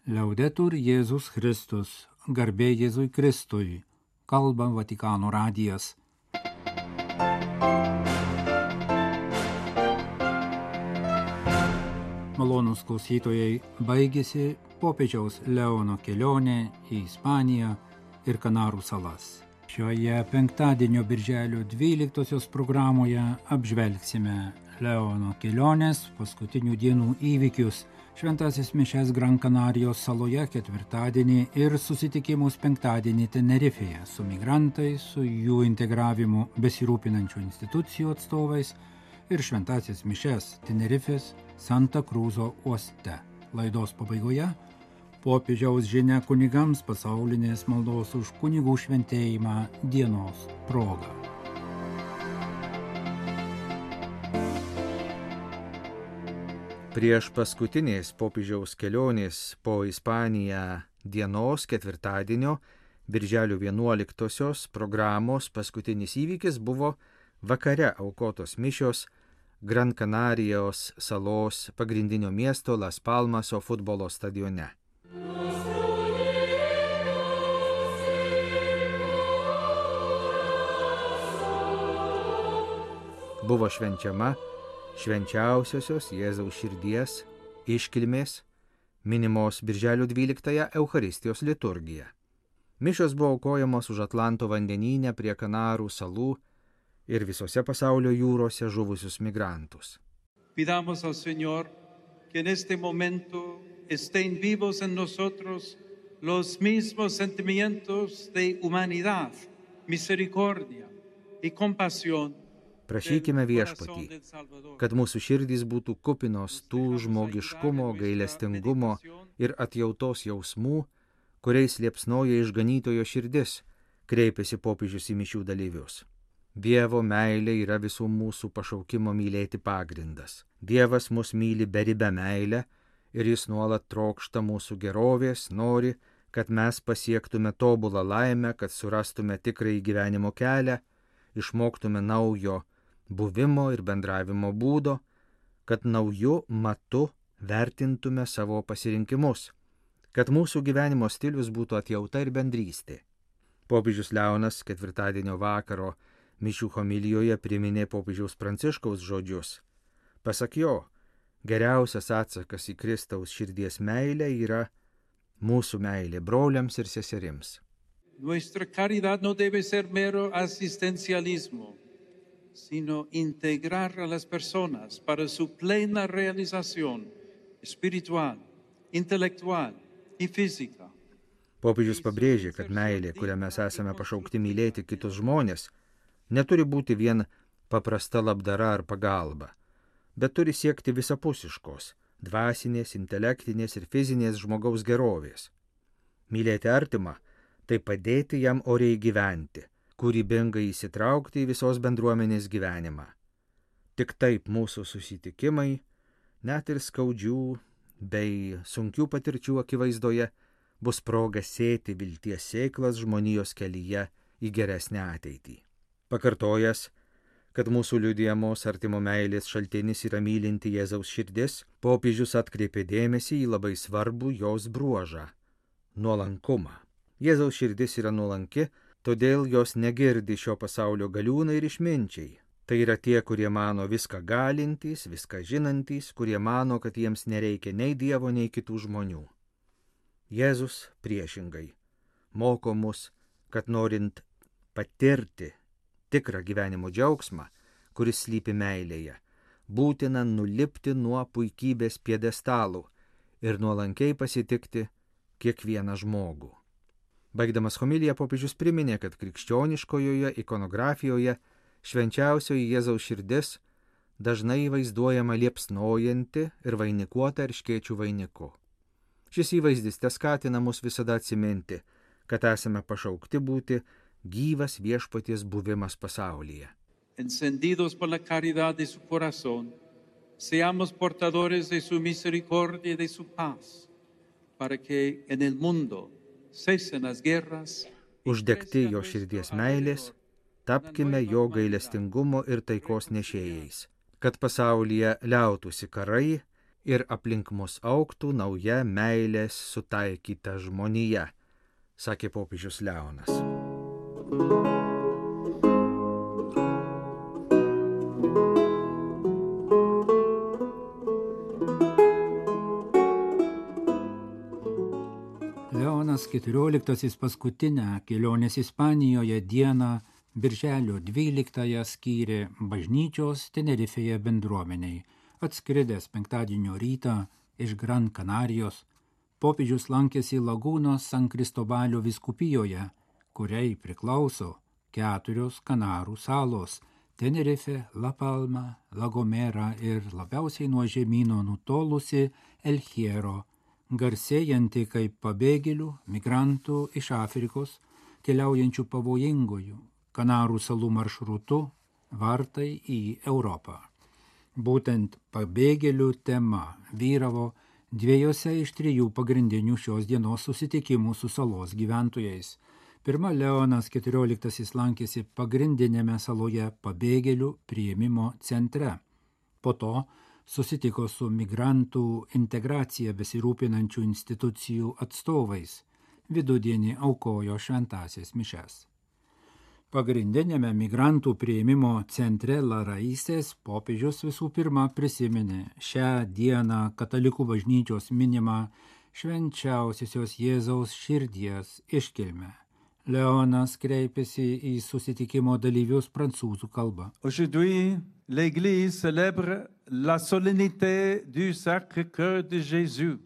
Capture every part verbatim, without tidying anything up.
Liaudetur Jėzus Kristus, garbė Jėzui Kristui, kalba Vatikano radijas. Malonūs klausytojai, baigėsi popiežiaus Leono kelionė į Ispaniją ir Kanarų salas. Šioje penktadienio birželio dvyliktosios programoje apžvelgsime Leono kelionės paskutinių dienų įvykius, šventasis mišias Gran Kanarijos saloje ketvirtadienį ir susitikimus penktadienį Tenerifėje su migrantais, su jų integravimu besirūpinančių institucijų atstovais ir šventasis mišias Tenerifės Santa Krūzo uoste. Laidos pabaigoje popiežiaus žinia kunigams pasaulinės maldos už kunigų šventėjimą dienos proga. Prieš paskutinės popiežiaus kelionės po Ispaniją dienos ketvirtadienio, birželio vienuoliktosios programos paskutinis įvykis buvo vakare aukotos mišios Gran Kanarijos salos pagrindinio miesto Las Palmaso futbolo stadione. Buvo švenčiama švenčiausiosios Jėzaus širdies iškilmės minimos birželio dvyliktąją Eucharistijos liturgija. Mišios buvo aukojamos už Atlanto vandenyne prie Kanarų salų ir visose pasaulio jūrose žuvusius migrantus. Pidamos al Señor que en este momento estén vivos en nosotros los mismos sentimientos de humanidad, misericordia y compasión. Prašykime viešpatį, kad mūsų širdys būtų kupinos tų žmogiškumo, gailestingumo ir atjautos jausmų, kuriais liepsnoja išganytojo širdis, kreipėsi popiežius į mišių dalyvius. Dievo meilė yra visų mūsų pašaukimo mylėti pagrindas. Dievas mus myli beribę meilę ir jis nuolat trokšta mūsų gerovės, nori, kad mes pasiektume tobulą laimę, kad surastume tikrąjį gyvenimo kelią, išmoktume naujo buvimo ir bendravimo būdo, kad naujų matu vertintume savo pasirinkimus, kad mūsų gyvenimo stilius būtų atjauta ir bendrystė. Popiežius Leonas ketvirtadienio vakaro mišių homilijoje priminė popiežiaus Pranciškaus žodžius. Pasak jo, geriausias atsakas į Kristaus širdies meilę yra mūsų meilė broliams ir seserims. Nuestra caridad no debe ser mero asistencialismo, sino integrar a las personas para su plena realización espiritual, intelectual y física. Popiežius pabrėžė, kad meilė, kurią mes esame pašaukti mylėti kitus žmonės, neturi būti vien paprasta labdara ar pagalba, bet turi siekti visapusiškos, dvasinės, intelektinės ir fizinės žmogaus gerovės. Mylėti artimą – tai padėti jam oriai gyventi, kūrybingai įsitraukti į visos bendruomenės gyvenimą. Tik taip mūsų susitikimai, net ir skaudžių bei sunkių patirčių akivaizdoje, bus proga sėti vilties sėklas žmonijos kelyje į geresnę ateitį. Pakartojęs, kad mūsų liudijamos artimo meilės šaltinis yra mylinti Jėzaus širdis, popiežius atkreipė dėmesį į labai svarbų jos bruožą – nuolankumą. Jėzaus širdis yra nuolanki, todėl jos negirdi šio pasaulio galiūnai ir išminčiai. Tai yra tie, kurie mano viską galintys, viską žinantys, kurie mano, kad jiems nereikia nei Dievo, nei kitų žmonių. Jėzus priešingai moko mus, kad norint patirti tikrą gyvenimo džiaugsmą, kuris slypi meilėje, būtina nulipti nuo puikybės pjedestalų ir nuolankiai pasitikti kiekvieną žmogų. Baigdamas homiliją popiežius priminė, kad krikščioniškojoje ikonografijoje švenčiausioji Jėzaus širdis dažnai vaizduojama liepsnojanti ir vainikuota erškėčių vainiku. Šis įvaizdis teskatina mus visada atsiminti, kad esame pašaukti būti gyvas viešpaties buvimas pasaulyje. Encendidos por la caridad de su corazón, seamos portadores de su misericordia y de su paz, para que en el mundo cesen las guerras. Uždegti jo širdies meilės, tapkime jo gailestingumo ir taikos nešėjais, kad pasaulyje liautųsi karai ir aplink mus augtų nauja meilės sutaikyta žmonija, sakė popiežius Leonas. Leonas keturioliktasis paskutinę kelionės Ispanijoje dieną birželio dvyliktąją skyrė bažnyčios Tenerifėje bendruomeniai. Atskridęs penktadienio rytą iš Gran Kanarijos, popiežius lankėsi Lagūnos San Kristobalio vyskupijoje, kuriai priklauso keturios Kanarų salos – Tenerife, La Palma, La Gomera ir labiausiai nuo žemyno nutolusi El Hierro, garsėjanti kaip pabėgėlių, migrantų iš Afrikos, keliaujančių pavojingųjų Kanarų salų maršrutu vartai į Europą. Būtent pabėgėlių tema vyravo dviejose iš trijų pagrindinių šios dienos susitikimų su salos gyventojais. Pirma, Leonas keturioliktasis lankėsi pagrindinėme saloje pabėgėlių priėmimo centre. Po to susitiko su migrantų integracija besirūpinančių institucijų atstovais. Vidudienį aukojo šventąsias mišes. Pagrindinėme migrantų priėmimo centre La Raíces popiežius visų pirma prisiminė šią dieną katalikų bažnyčios minimą švenčiausiosios Jėzaus širdies iškilmę. Leonas kreipėsi į susitikimo dalyvius prancūzų kalba. Aujourd'hui, l'Église célèbre la solennité du Sacré-Cœur de Jésus,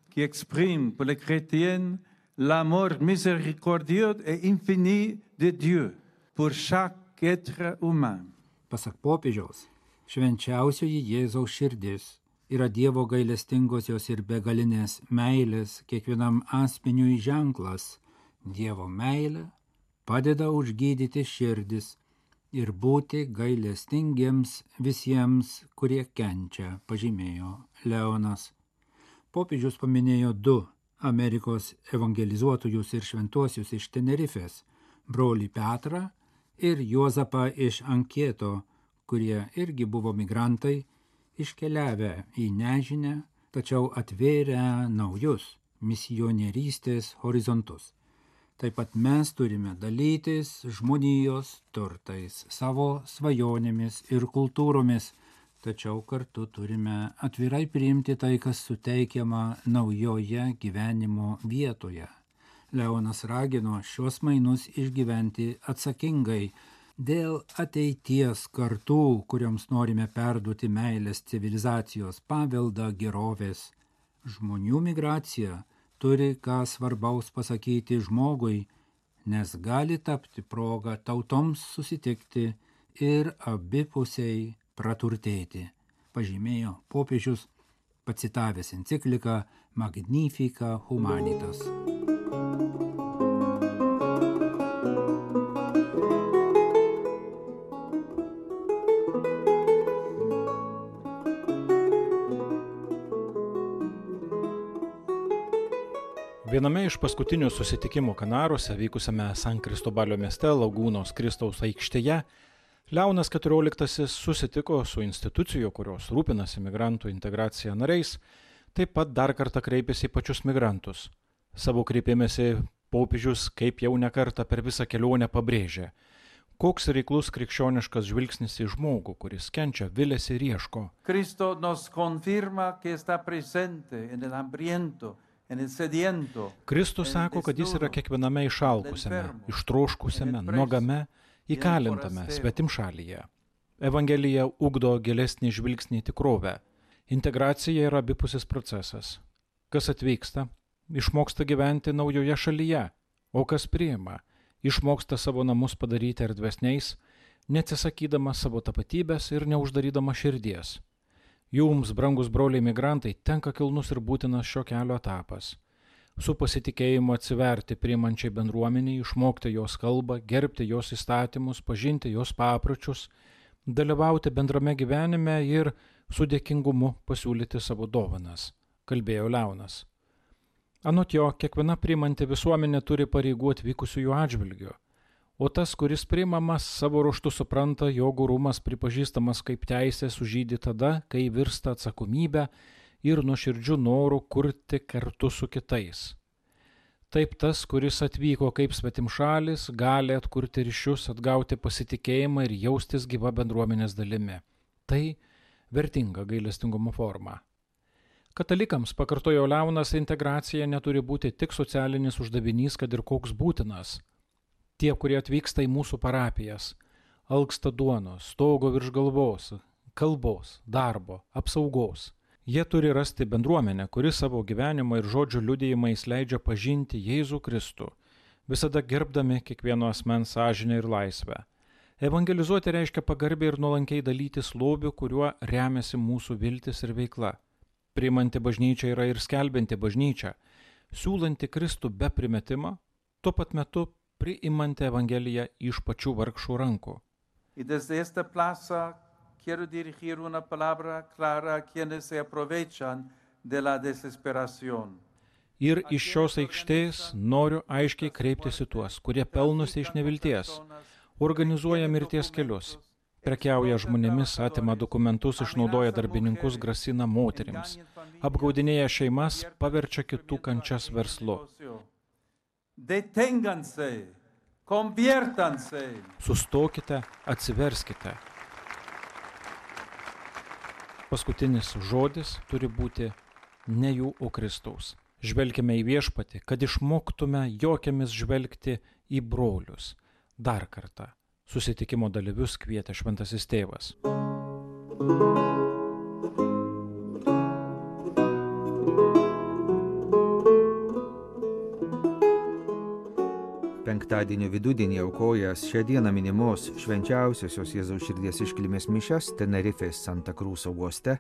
qui exprime pour les chrétiens l'amour miséricordieux et infini de Dieu pour chaque être humain. Pasak popiežiaus, švenčiausioji Jėzaus širdis yra Dievo gailestingosios ir begalinės meilės kiekvienam asmeniui ženklas. Dievo meilė padeda užgydyti širdis ir būti gailestingiems visiems, kurie kenčia, pažymėjo Leonas. Popiežius paminėjo du Amerikos evangelizuotojus ir šventuosius iš Tenerifės, brolį Petrą ir Juozapą iš Ankieto, kurie irgi buvo migrantai, iškeliavę į nežinią, tačiau atvėrę naujus misionierystės horizontus. Taip pat mes turime dalytis žmonijos turtais, savo svajonėmis ir kultūromis, tačiau kartu turime atvirai priimti tai, kas suteikiama naujoje gyvenimo vietoje. Leonas ragino šios mainus išgyventi atsakingai dėl ateities kartų, kurioms norime perduoti meilės civilizacijos paveldą gerovės. Žmonių migracija turi ką svarbaus pasakyti žmogui, nes gali tapti proga tautoms susitikti ir abipusiai praturtėti, pažymėjo popiežius, pacitavęs encikliką Magnifica Humanitas. Viename iš paskutinių susitikimų Kanaruose, vykusiame San Kristobalio mieste Lagūnos Kristaus aikštėje, Leonas keturioliktasis susitiko su institucijų, kurios rūpinasi migrantų integracija nariais, taip pat dar kartą kreipėsi į pačius migrantus. Savo kreipimėsi popiežius, kaip jau nekartą per visą kelionę pabrėžė, koks reiklus krikščioniškas žvilgsnis į žmogų, kuris kenčia, viliasi ir ieško. Cristo nos confirma que está presente en el hambriento, Kristus sako, kad jis yra kiekviename išalkusiame, ištroškusiame, nuogame, įkalintame svetimšalyje. Evangelija ugdo gilesnį žvilgsnį į tikrovę. Integracija yra abipusis procesas. Kas atvyksta, išmoksta gyventi naujoje šalyje, o kas priima, išmoksta savo namus padaryti erdvesniais, neatsisakydama savo tapatybės ir neuždarydama širdies. Jums, brangus broliai migrantai, tenka kilnus ir būtinas šio kelio etapas. Su pasitikėjimu atsiverti priimančiai bendruomeniai, išmokti jos kalbą, gerbti jos įstatymus, pažinti jos papročius, dalyvauti bendrame gyvenime ir su dėkingumu pasiūlyti savo dovanas, kalbėjo Leonas. Anot jo, kiekviena priimanti visuomenė turi pareigų atvykusiųjų atžvilgiu, o tas, kuris priimamas, savo ruožtu supranta, jog orumas pripažįstamas kaip teisė sužydi tada, kai virsta atsakomybę ir nuoširdžiu noru kurti kartu su kitais. Taip tas, kuris atvyko kaip svetimšalis, gali atkurti ryšius, atgauti pasitikėjimą ir jaustis gyva bendruomenės dalimi. Tai vertinga gailestingumo forma. Katalikams, pakartojo Leonas, integracija neturi būti tik socialinis uždavinys, kad ir koks būtinas. Tie, kurie atvyksta į mūsų parapijas, alksta duonos, stogo virš galvos, kalbos, darbo, apsaugos. Jie turi rasti bendruomenę, kuri savo gyvenimą ir žodžių liudijimais leidžia pažinti Jėzų Kristų, visada gerbdami kiekvieno asmens sąžinę ir laisvę. Evangelizuoti reiškia pagarbiai ir nuolankiai dalytis lobiu, kuriuo remiasi mūsų viltis ir veikla. Priimanti bažnyčia yra ir skelbianti bažnyčia, siūlanti Kristų be primetimo, tuo pat metu priimanti Evangeliją iš pačių vargšų rankų. Quiero dirigir una palabra clara a quienes se aprovechan de la desesperación. Ir iš šios aikštės noriu aiškiai kreiptis į tuos, kurie pelnosi iš nevilties, organizuoja mirties kelius, prekiauja žmonėmis, atima dokumentus, išnaudoja darbininkus, grasina moterims, apgaudinėja šeimas, paverčia kitų kančias verslu. Deténganse, conviértanse. Sustokite, atsiverskite. Paskutinis žodis turi būti ne jų, o Kristaus. Žvelkime į Viešpatį, kad išmoktume jo akimis žvelgti į brolius. Dar kartą susitikimo dalyvius kvietė Šventasis Tėvas. Penktadienio vidudienį aukojęs šią dieną minimos švenčiausiosios Jėzaus širdies iškilmės mišias Tenerifės Santa Cruz uoste,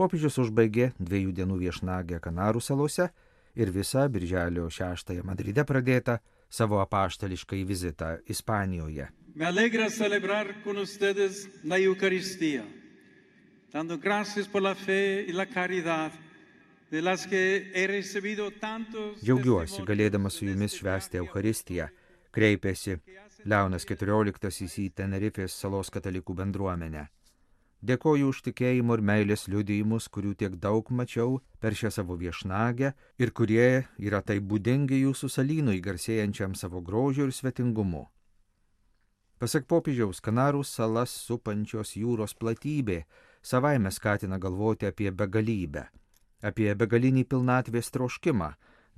popiežius užbaigė dviejų dienų viešnagę Kanarų salose ir visą birželio šeštąją Madride pradėtą savo apaštališkąjį vizitą Ispanijoje. Me alegra celebrar con ustedes la Eucaristía, dando gracias por la fe y la caridad de las que he recibido tantos. Džiaugiuosi galėdamas su jumis švęsti Eucharistiją, kreipėsi Leonas keturioliktasis į Tenerifės salos katalikų bendruomenę. Dėkoju už tikėjimo ir meilės liudijimus, kurių tiek daug mačiau per šią savo viešnagę ir kurie yra taip būdingi jūsų salynui garsėjančiam savo grožiu ir svetingumu. Pasak popiežiaus, Kanarų salas supančios jūros platybė savaime skatina galvoti apie begalybę, apie begalinį pilnatvės troškimą,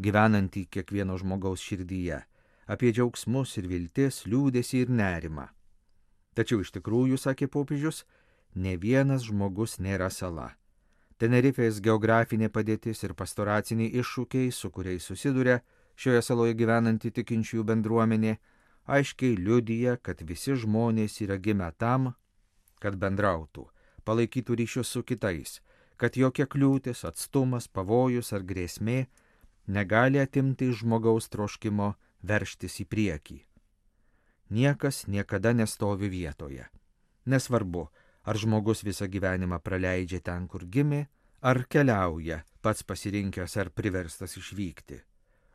gyvenantį kiekvieno žmogaus širdyje, apie džiaugsmus ir viltis, liūdesį ir nerimą. Tačiau iš tikrųjų, sakė popiežius, ne vienas žmogus nėra sala. Tenerifės geografinė padėtis ir pastoraciniai iššūkiai, su kuriais susiduria šioje saloje gyvenanti tikinčiųjų bendruomenė, aiškiai liudija, kad visi žmonės yra gimę tam, kad bendrautų, palaikytų ryšius su kitais, kad jokia kliūtis, atstumas, pavojus ar grėsmė negali atimti iš žmogaus troškimo veržtis į priekį. Niekas niekada nestovi vietoje. Nesvarbu, ar žmogus visą gyvenimą praleidžia ten, kur gimė, ar keliauja, pats pasirinkęs ar priverstas išvykti.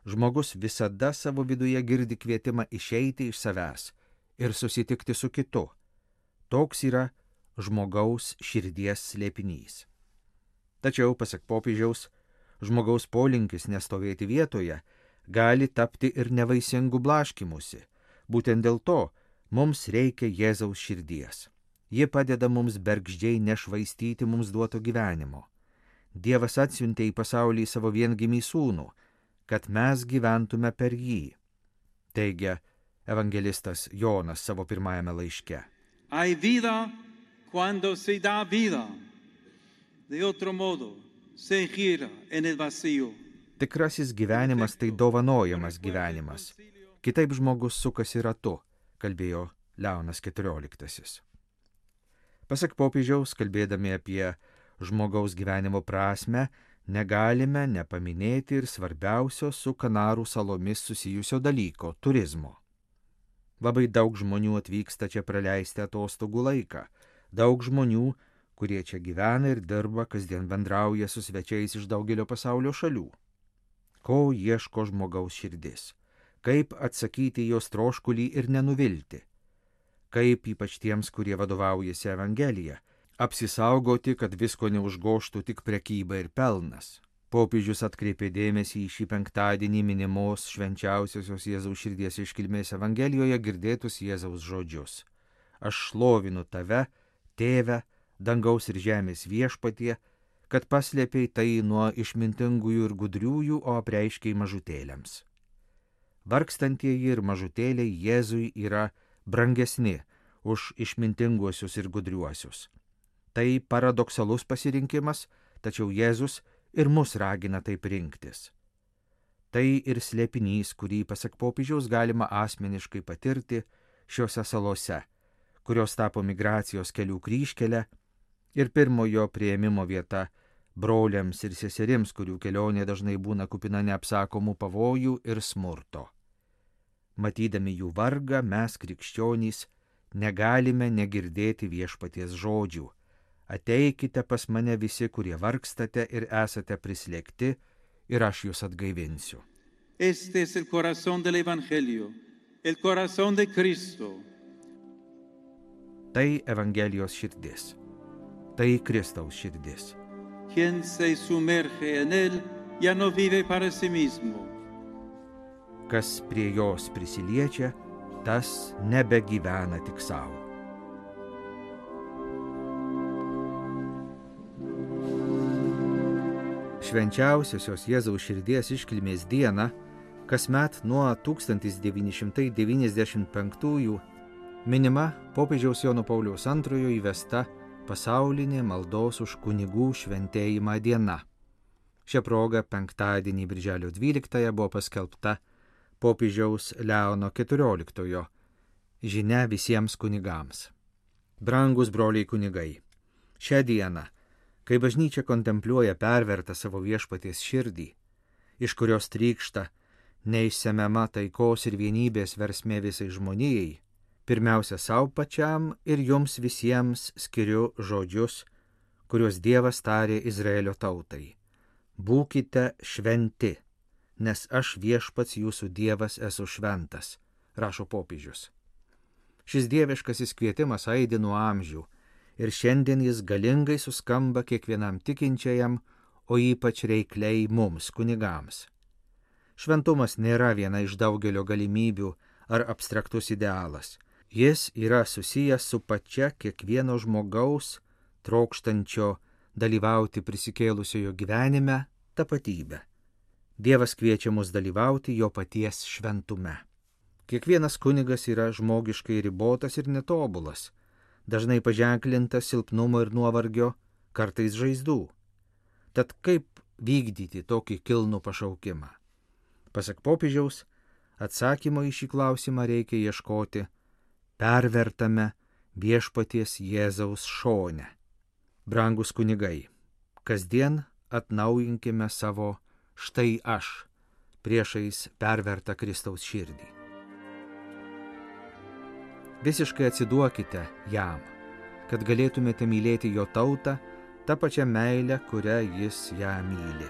Žmogus visada savo viduje girdi kvietimą išeiti iš savęs ir susitikti su kitu. Toks yra žmogaus širdies slėpinys. Tačiau, pasak popiežiaus, žmogaus polinkis nestovėti vietoje gali tapti ir nevaisingų blaškymusi. Būtent dėl to mums reikia Jėzaus širdies. Ji padeda mums bergždžiai nešvaistyti mums duoto gyvenimo. Dievas atsiuntė į pasaulį savo viengimį sūnų, kad mes gyventume per jį, teigia evangelistas Jonas savo pirmajame laiške. Hay vida cuando se da vida. De otro modo, se gira en el vacío. Tikrasis gyvenimas tai dovanojamas gyvenimas. Kitaip žmogus sukasi ratu, kalbėjo Leonas keturioliktasis. Pasak popiežiaus, kalbėdami apie žmogaus gyvenimo prasme, negalime nepaminėti ir svarbiausio su Kanarų salomis susijusio dalyko – turizmo. Labai daug žmonių atvyksta čia praleisti atostogų laiką. Daug žmonių, kurie čia gyvena ir dirba, kasdien bendrauja su svečiais iš daugelio pasaulio šalių. Ko ieško žmogaus širdis? Kaip atsakyti jos troškulį ir nenuvilti? Kaip ypač tiems, kurie vadovaujasi Evangelija, apsisaugoti, kad visko neužgoštų tik prekyba ir pelnas. Popiežius atkreipė dėmesį į šį penktadienį minimos švenčiausiosios Jėzaus širdies iškilmės Evangelijoje girdėtus Jėzaus žodžius. Aš šlovinu tave, tėve, dangaus ir žemės viešpatie, kad paslėpei tai nuo išmintingųjų ir gudriųjų, o apreiškei mažutėliams. Vargstantieji ir mažutėliai Jėzui yra brangesni už išmintinguosius ir gudriuosius. Tai paradoksalus pasirinkimas, tačiau Jėzus ir mus ragina taip rinktis. Tai ir slėpinys, kurį, pasak popiežiaus, galima asmeniškai patirti šiuose salose, kurios tapo migracijos kelių kryžkelė ir pirmojo priėmimo vieta broliams ir seserims, kurių kelionė dažnai būna kupina neapsakomų pavojų ir smurto. Matydami jų vargą, mes, krikščionys, negalime negirdėti viešpaties žodžių. Ateikite pas mane visi, kurie vargstate ir esate prislėgti, ir aš jūs atgaivinsiu. Este es el corazón del Evangelio, el corazón de Cristo. Tai Evangelijos širdis, tai Kristaus širdis. Quien se sumerge en él ya no vive para sí mismo. Kas prie jos prisiliečia, tas nebegyvena tik savo. Švenčiausiosios Jėzaus širdies iškilmės dieną, kasmet nuo tūkstantis devyni šimtai devyniasdešimt penktųjų minima popiežiaus Jono Pauliaus antrojo įvesta pasaulinė maldos už kunigų šventėjimą diena. Šia proga penktadienį birželio dvyliktąją buvo paskelbta popiežiaus Leono keturioliktojo žinia visiems kunigams. Brangus broliai kunigai, šią dieną, kai bažnyčia kontempliuoja pervertą savo viešpaties širdį, iš kurios trykšta neišsemiama taikos ir vienybės versmė visai žmonijai, pirmiausia savo pačiam ir jums visiems skiriu žodžius, kuriuos Dievas tarė Izraelio tautai. Būkite šventi, nes aš viešpats jūsų Dievas esu šventas, rašo popiežius. Šis dieviškasis kvietimas aidi nuo amžių, ir šiandien jis galingai suskamba kiekvienam tikinčiajam, o ypač reikliai mums, kunigams. Šventumas nėra viena iš daugelio galimybių ar abstraktus idealas. Jis yra susijęs su pačia kiekvieno žmogaus, trokštančio dalyvauti prisikėlusiojo gyvenime, tapatybę. Dievas kviečia mus dalyvauti jo paties šventume. Kiekvienas kunigas yra žmogiškai ribotas ir netobulas, dažnai paženklintas silpnumo ir nuovargio, kartais žaizdų. Tad kaip vykdyti tokį kilnų pašaukimą? Pasak popiežiaus, atsakymo į šį klausimą reikia ieškoti pervertame viešpaties Jėzaus šone. Brangus kunigai, kasdien atnaujinkime savo štai aš priešais pervertą Kristaus širdį. Visiškai atsiduokite jam, kad galėtumėte mylėti jo tautą tą pačią meilę, kurią jis ją myli.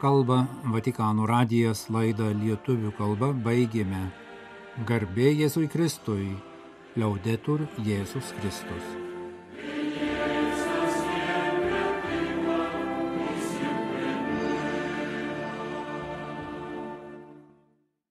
Kalba Vatikano radijas, laidą lietuvių kalba baigėme. Garbė Jėzui Kristui, Liaudetur Jėzus Kristus.